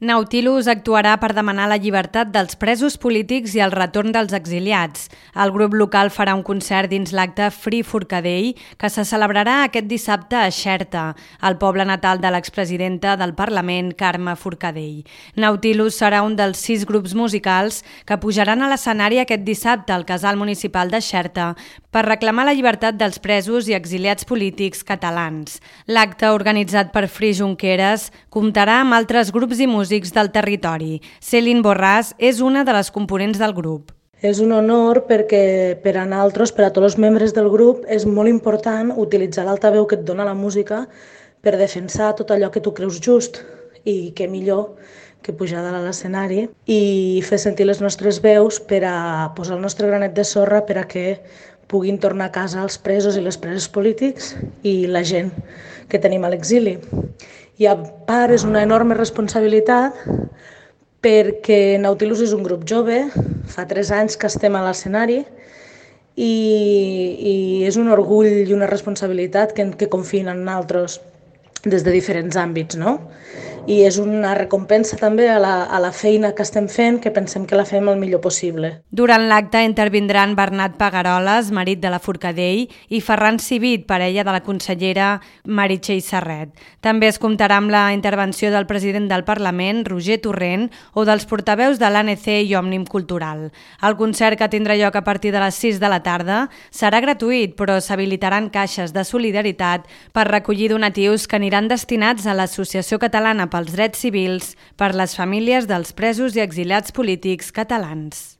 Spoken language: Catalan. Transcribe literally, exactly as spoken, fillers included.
Nautilus actuarà per demanar la llibertat dels presos polítics i el retorn dels exiliats. El grup local farà un concert dins l'acte Free Forcadell, que se celebrarà aquest dissabte a Xerta, el poble natal de l'expresidenta del Parlament, Carme Forcadell. Nautilus serà un dels sis grups musicals que pujaran a l'escenari aquest dissabte al Casal Municipal de Xerta per reclamar la llibertat dels presos i exiliats polítics catalans. L'acte, organitzat per Free Junqueras, comptarà amb altres grups i músics del territori. Céline Borràs és una de les components del grup. És un honor perquè per a nosaltres, per a tots els membres del grup, és molt important utilitzar l'altaveu que et dona la música per defensar tot allò que tu creus just, i què millor que pujar dalt a l'escenari i fer sentir les nostres veus per a posar el nostre granet de sorra per a que puguin tornar a casa els presos i les preses polítics i la gent que tenim a l'exili. I a part és una enorme responsabilitat perquè Nautilus és un grup jove, fa tres anys que estem a l'escenari i, i és un orgull i una responsabilitat que, que confien en nosaltres des de diferents àmbits, no? I és una recompensa també a la, a la feina que estem fent, que pensem que la fem el millor possible. Durant l'acte intervindran Bernat Pagaroles, marit de la Forcadell, i Ferran Civit, parella de la consellera Meritxell Serret. També es comptarà amb la intervenció del president del Parlament, Roger Torrent, o dels portaveus de l'A N C i Òmnium Cultural. El concert, que tindrà lloc a partir de les sis de la tarda, serà gratuït, però s'habilitaran caixes de solidaritat per recollir donatius que aniran destinats a l'Associació Catalana pels Drets Civils per les famílies dels presos i exiliats polítics catalans.